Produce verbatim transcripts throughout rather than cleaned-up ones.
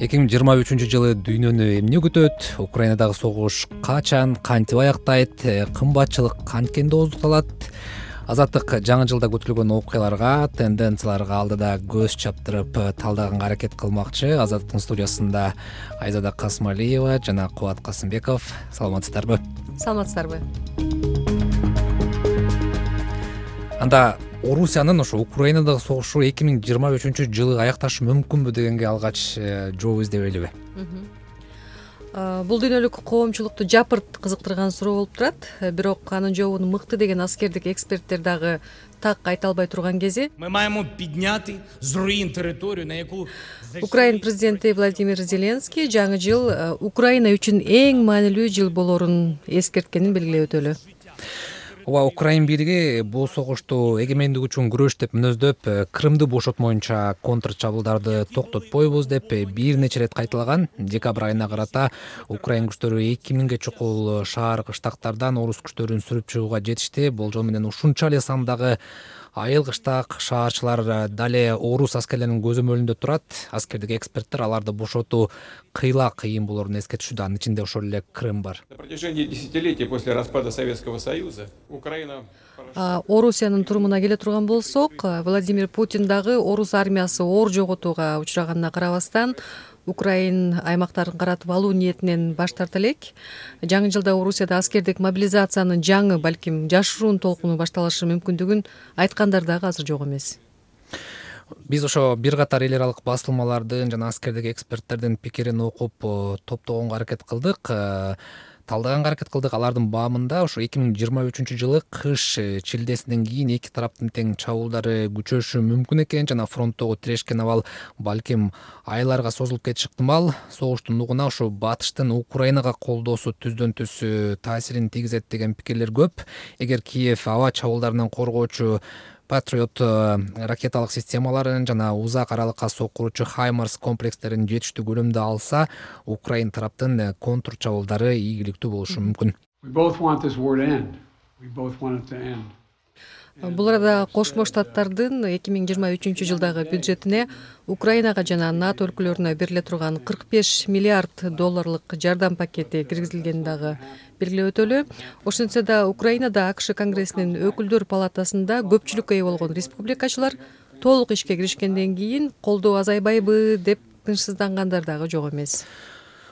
эки миң жыйырма үчүнчү жылы дүйнөнү эмне күтөт? Украинадагы согуш качан, кантип аяктайт? Кымбатчылык канткенде ооздукталат? Азаттык жаңы жылда күтүлгөн окуяларга, тенденцияларга алдыда көз чаптырып талдаганга аракет кылмакчы. Азаттыктын студиясында Айзада Касмалиева жана Кубат Касымбеков. Саламатсыздарбы? Саламатсыздарбы? Анда Орусиянын ошо Украинадагы согушу эки миң жыйырма үчүнчү жылы аякташы мүмкүнбү дегенге алгач жооп издебейлиби? Бул дүйнөлүк коомчулукту жапырт кызыктырган суроо болуп турат. Бирок анын жообун мыкты деген аскердик эксперттер дагы так айта албай турган кези. Мы маємо підняти з руїн територію, на яку Украин президенти Владимир Зеленский жаңы жыл Украина үчүн эң маанилүү жыл болорун эскерткенин белгилеп өтөлү. Ооба, Украин бийлиги бул согушту эгемендик үчүн күрөш деп мүнөздөп, Крымды бошотмоюнча контр чабуулдарды токтотпойбуз деп бир нече ирет кайталаган. Декабрь айына карата Украин күчтөрү эки миңге чукул шаар кыштактардан орус күчтөрүн сүрүп чыгууга жетишти. Болжол менен ушунча эле сандагы айыл кыштак шаарчылар дале орус аскерлеринин көзөмөлүндө турат. Аскердик эксперттер аларды бошотуу кыйла кыйын болорун эскертишүүдө. Анын ичинде ошол эле Крым бар. На протяжении десятилетий после распада Советского Союза Украина Орусиянын турумуна келе турган болсок, Владимир Путин дагы орус армиясы оор жоготууга учраганына карабастан Украин аймактарын каратып алуу ниетинен баш тарта элек. Жаңы жылда Орусияда аскердик мобилизациянын жаңы, балким жашыруун толкуну башталышы мүмкүндүгүн айткандар дагы азыр жок эмес. Биз ошо бир катар эл аралык басылмалардын жана аскердик эксперттердин пикирин окуп топтогонго аракет кылдык. Талдаганга аракет кылдык. Алардын баамында ошо эки миң жыйырма үчүнчү жылы кыш чилдесинен кийин эки тараптын тең чабуулдары күчөшү мүмкүн экен жана фронттогу тирешкен абал балким айларга созулуп кетиши ыктымал. Согуштун нугуна ошо батыштын Украинага колдоосу түздөн түз таасирин тийгизет деген пикирлер көп. Эгер Киев аба чабуулдарынан коргоочу Патриот ракеталык системаларын жана узак аралыкка соккуручу Хаймарс комплекстерин жетиштүү көлөмдө алса, Украин тараптын контр чабуулдары ийгиликтүү болушу мүмкүн. Бул арада Кошмо Штаттардын эки миң жыйырма үчүнчү жылдагы бюджетине Украинага жана НАТО өлкөлөрүнө бериле турган кырк беш миллиард долларлык жардам пакети киргизилгени дагы белгилеп өтөлү. Ошентсе да Украинада АКШ Конгрессинин өкүлдөр палатасында көпчүлүккө ээ болгон республикачылар толук ишке киришкенден кийин колдоо азайбайбы деп тынчсыздангандар дагы жок эмес.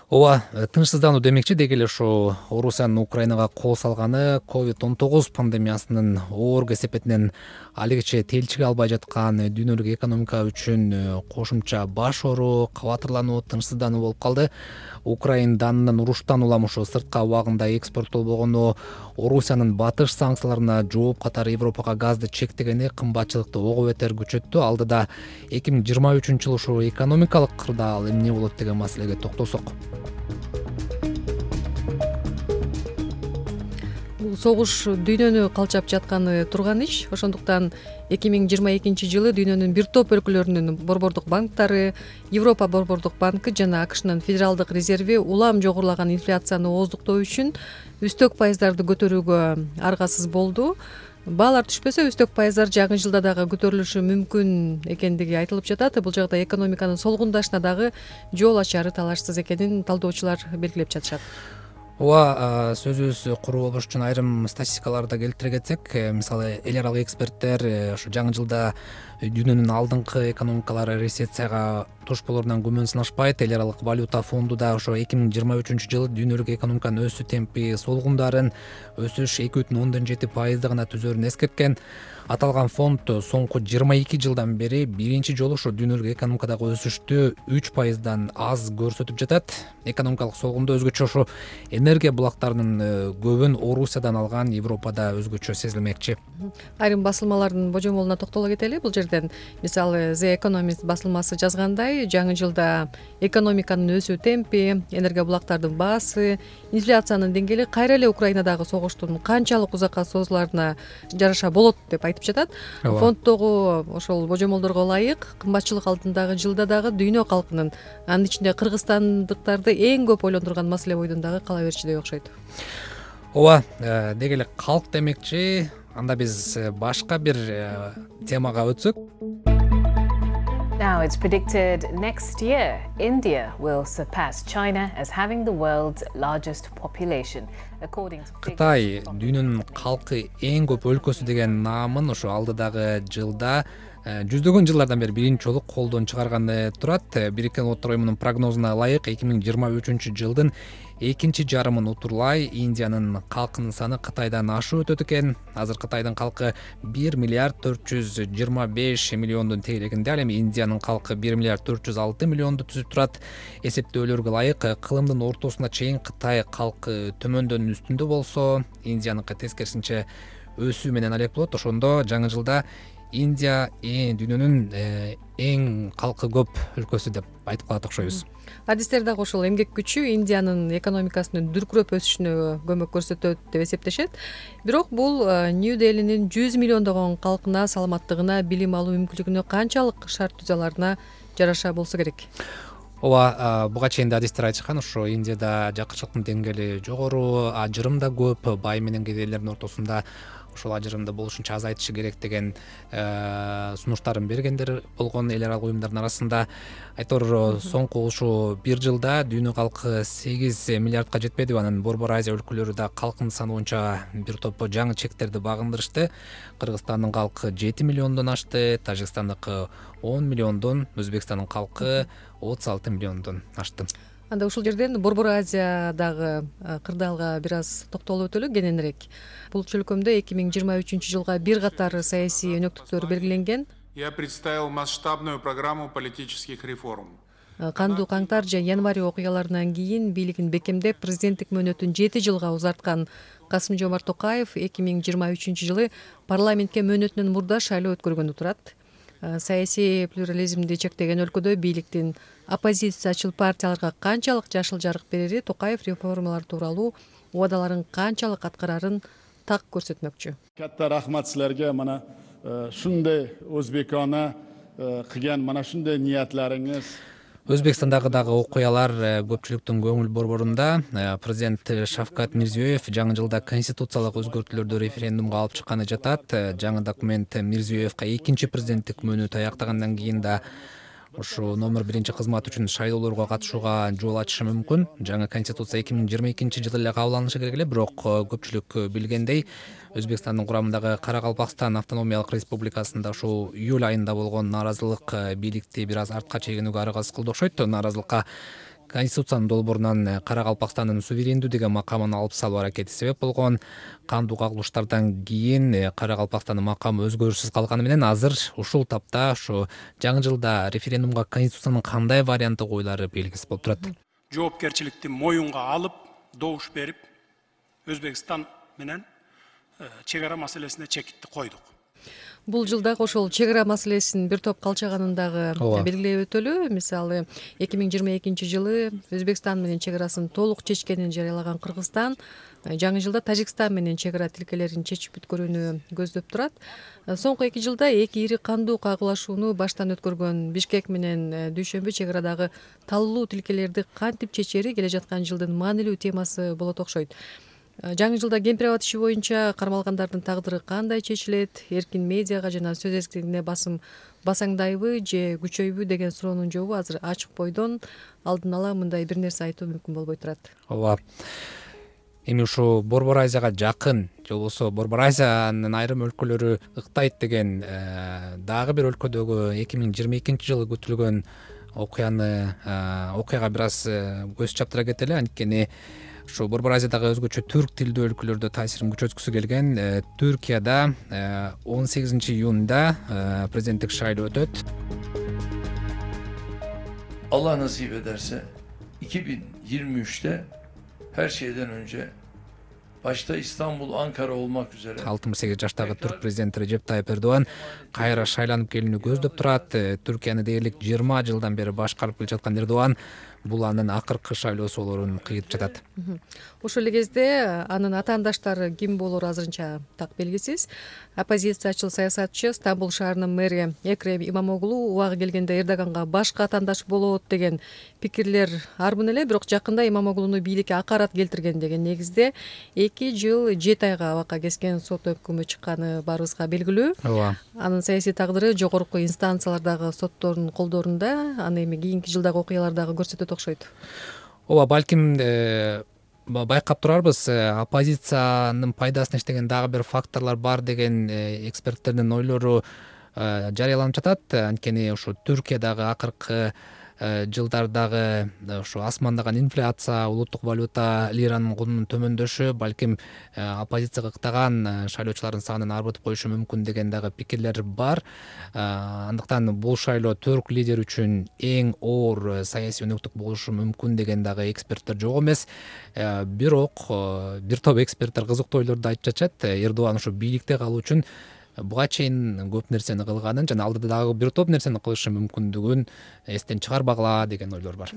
Ооба, тынчсыздануу демекчи деги эле ошо Орусиянын Украинага кол салганы ковид он тогуз пандемиясынын оор кесепетинен алигиче телчиге албай жаткан дүйнөлүк экономика үчүн кошумча баш оору, кабатырлануу, тынчсыздануу болуп калды. Украин данынын уруштан улам ошо сырткы убагында экспорттолбогону, Орусиянын батыш санкцияларына жооп катары Европага газды чектегени кымбатчылыкты ого бетер күчөттү. Алдыда эки миң жыйырма үчүнчү жылы ошо экономикалык кырдаал эмне болот деген маселеге токтолсок. Бул согуш дүйнөнү калчап жатканы турган иш. Ошондуктан эки миң жыйырма экинчи жылы дүйнөнүн бир топ өлкөлөрүнүн борбордук банктары, Европа борбордук банкы жана АКШнын федералдык резерви улам жогорулаган инфляцияны ооздуктоо үчүн үстөк пайыздарды көтөрүүгө аргасыз болду. Баалар түшпөсө, үстөк пайыздар жаңы жылда дагы көтөрүлүшү мүмкүн экендиги айтылып жатат. Бул жакта экономиканын солгундашына дагы жол ачары талашсыз экенин талдоочулар белгилеп жатышат. Ооба, сөзүбүз куру болуш үчүн айрым статистикаларды келтире кетсек, мисалы эл аралык эксперттер ошо жаңы жылда дүйнөнүн алдыңкы экономикалары рецессияга туш болорунан күмөн сынашпайт. Эл аралык валюта фонду да ошо эки миң жыйырма үчүнчү жылы дүйнөлүк экономиканын өсүү темпи солгундарын, өсүш эки бүтүн ондон жети пайызды гана түзөрүн эскерткен. Аталган фонд соңку жыйырма эки жылдан бери биринчи жолу ошо дүйнөлүк экономикадагы өсүштү үч пайыздан аз көрсөтүп жатат. Экономикалык солгундо өзгөчө ошо энергия булактарынын көбүн Орусиядан алган Европада өзгөчө сезилмекчи. Айрым басылмалардын божомолуна токтоло кетели. Бул жерден мисалы The Economist басылмасы жазгандай, жаңы жылда экономиканын өсүү темпи, энергия булактардын баасы, инфляциянын деңгээли кайра эле Украинадагы согуштун канчалык узакка созуларына жараша болот деп айтып жатат. Фонддогу ошол божомолдорго ылайык кымбатчылык алдындагы жылда дагы дүйнө калкынын, анын ичинде кыргызстандыктарды эң көп ойлондурган маселе бойдон дагы кала берчүдөй окшойт. Ооба, деги эле калк демекчи. Анда биз башка бир темага өтсөк. Now, it's predicted next year India will surpass China as having the world's largest population. According to Кытай дүйнөнүн калкы эң көп өлкөсү деген наамын ошо алдыдагы жылда жүздөгөн жылдардан бери биринчи жолу колдон чыгарганы турат. Бириккен Улуттар уюмунун прогнозуна ылайык эки миң жыйырма үчүнчү жылдын экинчи жарымын утурлай Индиянын калкынын саны Кытайдан ашып өтөт экен. Азыр Кытайдын калкы бир миллиард төрт жүз жыйырма беш миллиондун тегерегинде, ал эми Индиянын калкы бир миллиард төрт жүз алты миллионду түзүп турат. Эсептөөлөргө ылайык кылымдын ортосуна чейин Кытай калкы төмөндөн үстүндө болсо, Индияныкы тескерисинче өсүү менен алек болот. Ошондо жаңы жылда Индия дүйнөнүн эң калкы көп өлкөсү деп айтып калат окшойбуз. Адистер дагы ошол эмгек күчү Индиянын экономикасынын дүркүрөп өсүшүнө көмөк көрсөтөт деп эсептешет. Бирок бул Нью-Делинин жүз миллиондогон калкына, саламаттыгына, билим алуу мүмкүнчүлүгүнө канчалык шарт түзүлөрүнө жараша болсо керек. Ооба, буга чейин да адистер айтышкан, ошо Индияда жакырчылыктын деңгээли жогору, ажырым да көп, бай менен кедейлердин ортосунда ошол ажырымды болушунча азайтышы керек деген сунуштарын бергендер болгон эл аралык уюмдардын арасында. Айтор соңку ушул бир жылда дүйнө калкы сегиз миллиардка жетпеди. Анан Борбор Азия өлкөлөрү да калкынын саны боюнча бир топ жаңы чектерди багындырышты. Кыргызстандын калкы жети миллиондон ашты, Тажикстандыкы он миллиондон, Өзбекстандын калкы отуз алты миллиондон ашты. Анда ушул жерден Борбор Азиядагы кырдаалга бир аз токтолуп өтөлү кененирээк. Бул чөлкөмдө эки миң жыйырма үчүнчү жылга бир катар саясий өнөктүктөр белгиленген. Я представил масштабную программу политических реформ. Кандуу каңтар же январь окуяларынан кийин бийлигин бекемдеп, президенттик мөөнөтүн жети жылга узарткан Касым-Жомарт Токаев эки миң жыйырма үчүнчү жылы парламентке мөөнөтүнөн мурда шайлоо өткөргөнү турат. Саясий плюрализмди чектеген өлкөдө бийликтин оппозициячыл партияларга канчалык жашыл жарык берери, Токаев реформалар тууралуу убадаларын канчалык аткарарын так көрсөтмөкчү. Катта рахмат силерге, мана шундай өзбекона кылган, мана шундай ниятларыңыз. Өзбекстандагы дагы окуялар көпчүлүктүн көңүл борборунда. Президент Шавкат Мирзиёев жаңы жылда конституциялык өзгөртүүлөрдү референдумга алып чыкканы жатат. Жаңы документ Мирзиёевка экинчи президенттик мөөнөтү аяктагандан кийин да ушу номер биринчи кызмат үчүн шайлоолорго катышууга жол ачышы мүмкүн. Жаңы конституция эки миң жыйырма экинчи жылы эле кабыл алынышы керек эле, бирок көпчүлүк билгендей, Өзбекстандын курамындагы Каракалпакстан автономиялык республикасында ушул июль айында болгон нааразылык бийликти бир аз артка чегинүүгө аракет кылды окшойт. Нааразылыкка Конституциянын долбоорунан Каракалпакстандын суверендүү деген макамын алып салуу аракети себеп болгон. Кандуу кагылыштардан кийин Каракалпакстандын макамы өзгөрүшсүз калганы менен азыр ушул тапта ушу жаңы жылда референдумга Конституциянын кандай варианты коюлары белгисиз болуп турат. Жоопкерчиликти моюнга алып, добуш берип, Өзбекстан менен чек ара маселесине чекитти койдук. Бул жылдагы ошол чек ара маселесин бир топ калчаганын дагы белгилеп өтөлү. Мисалы, эки миң жыйырма экинчи жылы Өзбекстан менен чек арасын толук чечкенин жарыялаган Кыргызстан жаңы жылда Тажикстан менен чек ара тилкелерин чечип бүткөрүүнү көздөп турат. Соңку эки жылда эки ири кандуу кагылашууну баштан өткөргөн Бишкек менен Дүйшөмбү чек арадагы таллуу тилкелерди кантип чечери келе жаткан жылдын маанилүү темасы болот окшойт. Жаңы жылда кемпир-абад иши боюнча кармалгандардын тагдыры кандай чечилет, эркин медиага жана сөз эркиндигине басым басаңдайбы же күчөйбү деген суроонун жообу азыр ачык бойдон, алдын ала мындай бир нерсе айтуу мүмкүн болбой турат. Ооба. Эми ушу Борбор Азияга жакын же болбосо Борбор Азиянын айрым өлкөлөрү ыктайт деген дагы бир өлкөдөгү эки миң жыйырма экинчи жылы күтүлгөн окуяны окуяга бир аз көз чаптыра кетели. Анткени ушу Борбор Азиядагы өзгөчө түрк тилдүү өлкөлөрдө таасирин күчөткүсү келген Түркияда он сегизинчи июнда президенттик шайлоо өтөт. Allah nasip ederse iki bin yirmi üçte her şeyden önce başta İstanbul, Ankara olmak üzere алтымыш сегиз жаштагы түрк президенти Режеп Тайып Эрдоган кайра шайланып келүүнү көздөп турат. Түркияны дээрлик жыйырма жылдан бери башкарып келе жаткан Эрдоган бул анын акыркы шайлоосу болоорун кыйытып жатат. Ошол эле кезде анын атаандаштары ким болоору азырынча так белгисиз. Оппозициячыл саясатчы, Стамбул шаарынын мэри Экрем Имамоглу убагы келгенде Эрдоганга башка атаандаш болот деген пикирлер арбын эле, бирок жакында Имамоглуну бийликке акарат келтирген деген негизде эки жыл жети айга абакка кескен сот өкүмү чыкканы баарыбызга белгилүү. Ооба. Анын саясий тагдыры жогорку инстанциялардагы соттордун колдорунда, аны эми кийинки жылдагы окуялар дагы көрсөтөт окшойт. Ооба, балким байкап турарбыз, оппозициянын пайдасына иштеген дагы бир факторлор бар деген эксперттердин ойлору жарыяланып жатат. Анткени ушу Түркиядагы акыркы жылдардагы ушу асмандаган инфляция, улуттук валюта, лиранын кунунун төмөндөшү балким оппозицияга ыктаган шайлоочулардын санын арбытып коюшу мүмкүн деген дагы пикирлер бар. Андыктан бул шайлоо түрк лидер үчүн эң оор саясий өнөктүк болушу мүмкүн деген дагы эксперттер жок эмес. Бирок бир топ эксперттер кызыктуу ойлорду айтып жатышат. Эрдоган ушу бийликте калуу үчүн буга чейин көп нерсени кылганын жана алдыда дагы бир топ нерсени кылышы мүмкүндүгүн эстен чыгарбагыла деген ойлор бар.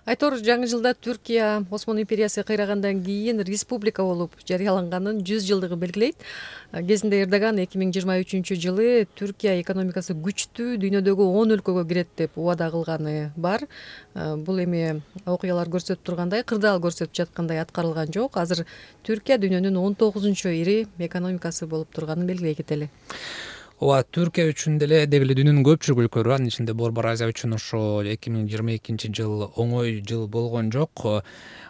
Айтор, жаңы жылда Түркия Осмон империясы кыйрагандан кийин республика болуп жарыяланганын жүз жылдыгы белгилейт. Кезинде Эрдоган эки миң жыйырма үчүнчү жылы Түркия экономикасы күчтүү, дүйнөдөгү он өлкөгө кирет деп убада кылганы бар. Бул эми окуялар көрсөтүп тургандай, кырдаал көрсөтүп жаткандай аткарылган жок. Азыр Түркия дүйнөнүн он тогузунчу ири экономикасы болуп турганын белгилей кетели. Ооба, Түркия үчүн деле деги эле дүйнөнүн көпчүлүк өлкөлөрү, анын ичинде Борбор Азия үчүн ошо эки миң жыйырма экинчи жыл оңой жыл болгон жок.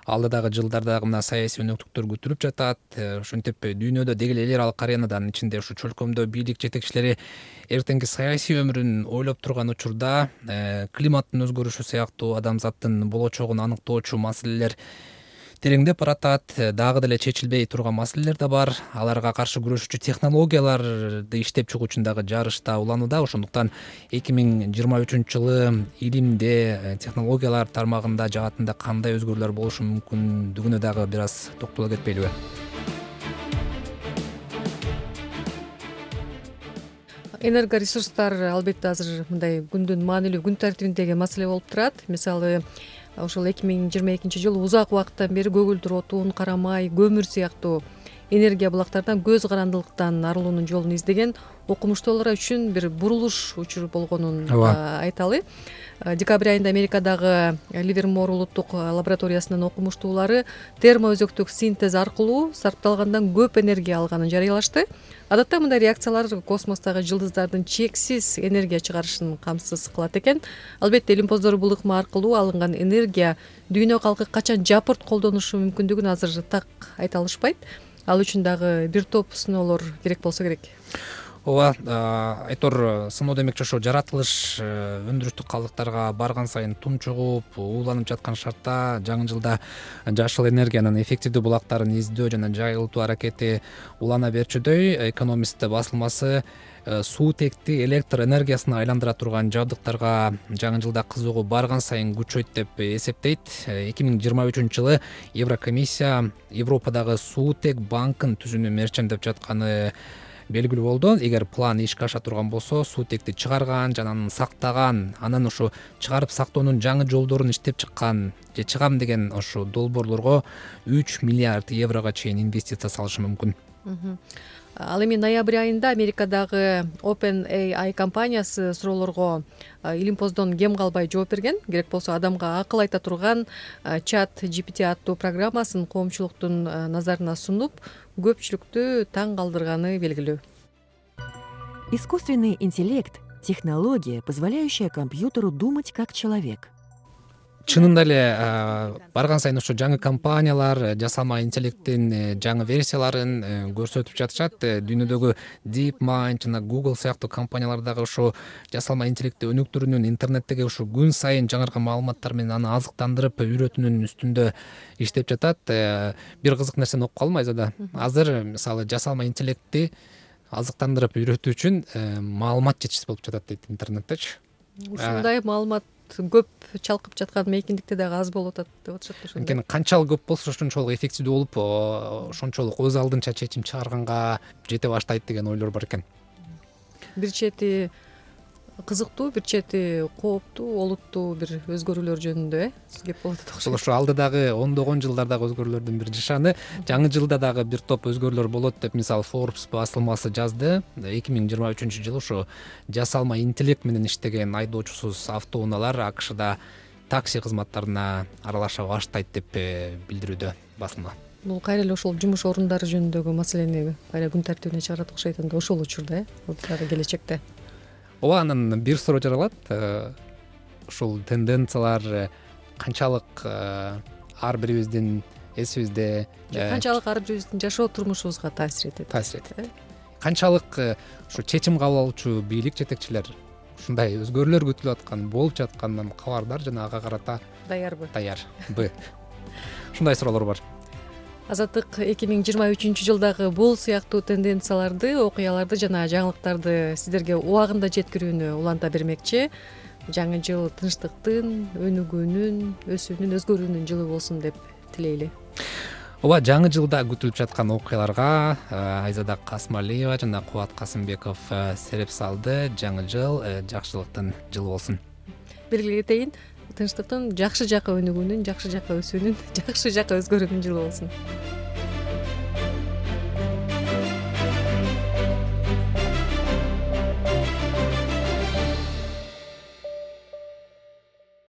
Алдыдагы жылдарда мына саясий өнөктүктөр күтүлүп жатат. Ошентип дүйнөдө деги эле эл аралык аренада, анын ичинде ушу чөлкөмдө бийлик жетекчилери эртеңки саясий өмүрүн ойлоп турган учурда климаттын өзгөрүшү сыяктуу адамзаттын болочогун аныктоочу маселелер тереңдеп баратат. Дагы деле чечилбей турган маселелер да бар. Аларга каршы күрөшүүчү технологияларды иштеп чыгуу үчүн дагы жарышта уланууда. Ошондуктан эки миң жыйырма үчүнчү жылы илимде, технологиялар тармагында, жаатында кандай өзгөрүүлөр болушу мүмкүндүгүнө дагы бир аз токтоло кетпейлиби? Энергоресурстар албетте азыр мындай күндүн маанилүү күн тартибиндеги маселе болуп турат. Мисалы, ошол эки миң жыйырма экинчи жылы узак убакыттан бери көгүлдүр отун, карамай, көмүр сыяктуу энергия булактардан көз карандылыктан арылуунун жолун издеген окумуштуулар үчүн бир бурулуш учуру болгонун айталы. Декабрь айында Америкадагы Ливермор улуттук лабораториясынын окумуштуулары термоөзөктүк синтез аркылуу сарпталгандан көп энергия алганын жарыялашты. Адатта мындай реакциялар космостогу жылдыздардын чексиз энергия чыгарышын камсыз кылат экен. Албетте илимпоздор бул ыкма аркылуу алынган энергия дүйнө калкы качан жапырт колдонушу мүмкүндүгүн азыр так айта алышпайт. Ал үчүн дагы бир топ сыноолор керек болсо керек. Ооба, Айтор, сыноо демекчи ошо жаратылыш өндүрүштүк калдыктарга барган сайын тунчугуп, ууланып жаткан шартта жаңы жылда жашыл энергиянын эффективдүү булактарын издөө жана жайылтуу аракети улана берчүдөй, Экономист басылмасы суутекти электр энергиясына айландыра турган жабдыктарга жаңы жылда кызыгуу барган сайын күчөйт деп эсептейт. эки миң жыйырма үчүнчү жылы Еврокомиссия Европадагы суутек банкын түзүүнү мерчемдеп жатканы белгилүү болду. Эгер план ишке аша турган болсо, суутекти чыгарган жана аны сактаган, анан ушу чыгарып сактоонун жаңы жолдорун иштеп чыккан же чыгам деген ошо долбоорлорго үч миллиард еврого чейин инвестиция салышы мүмкүн. Ал эми ноябрь айында Америкадагы OpenAI компаниясы суроолорго илимпоздон кем калбай жооп берген. Керек болсо адамга акыл айта турган чат джи пи ти аттуу программасын коомчулуктун назарына сунуп, көпчүлүктү таң калтырганы белгилүү. Искусственный интеллект – технология, позволяющая компьютеру думать как человек. Чынында эле барган сайын ошо жаңы компаниялар жасалма интеллекттин жаңы версияларын көрсөтүп жатышат. Дүйнөдөгү DeepMind жана Google сыяктуу компаниялар дагы ошо жасалма интеллектти өнүктүрүүнүн, интернеттеги ушу күн сайын жаңыркан маалыматтар менен аны азыктандырып үйрөтүүнүн үстүндө иштеп жатат. Бир кызык нерсени окуп калдым Айзада. Азыр мисалы жасалма интеллектти азыктандырып үйрөтүү үчүн маалымат жетишсиз болуп жатат дейт интернеттечи. Ушундай маалымат көп чалкып жаткан мейкиндикте дагы аз болуп атат деп атышат ошондо. Анткени канчалык көп болсо ошончолук эффективдүү болуп, ошончолук өз алдынча чечим чыгарганга жете баштайт деген ойлор бар экен. Бир чети кызыктуу, бир чети кооптуу, олуттуу бир өзгөрүүлөр жөнүндө э кеп болот ошол окшойт. ошо алдыдагы ондогон жылдардагы өзгөрүүлөрдүн бир жышаны. Жаңы жылда дагы бир топ өзгөрүүлөр болот деп мисалы Forbes басылмасы жазды. эки миң жыйырма үчүнчү жылы ушу жасалма интеллект менен иштеген айдоочусуз автоунаалар АКШда такси кызматтарына аралаша баштайт деп билдирүүдө басылма. Бул кайра эле ошол жумуш орундары жөнүндөгү маселени кайра күн тартибине чыгарат окшойт анда ошол учурда э дагы келечекте. Ооба, анан бир суроо жаралат. Ушул тенденциялар канчалык ар бирибиздин эсибизде Канчалык ар бирибиздин жашоо турмушубузга таасир этет? таасир этет. Канчалык ушу чечим кабыл алуучу бийлик жетекчилер ушундай өзгөрүүлөр күтүлүп аткан, болуп жатканынан кабардар жана ага карата Даярбы? Даярбы? Ушундай суроолор бар. Азаттык эки миң жыйырма үчүнчү жылдагы бул сыяктуу тенденцияларды, окуяларды жана жаңылыктарды сиздерге убагында жеткирүүнү уланта бермекчи. Жаңы жыл тынчтыктын, өнүгүүнүн, өсүүнүн, өзгөрүүнүн жылы болсун деп тилейли. Ооба, жаңы жылда күтүлүп жаткан окуяларга Айзада Касмалиева жана Кубат Касымбеков сереп салды. Жаңы жыл жакшылыктын жылы болсун. Белгилей кетейин, тынчтыктын, жакшы жака өнүгүүнүн, жакшы жака өсүүнүн, жакшы жака өзгөрүүнүн жылы болсун.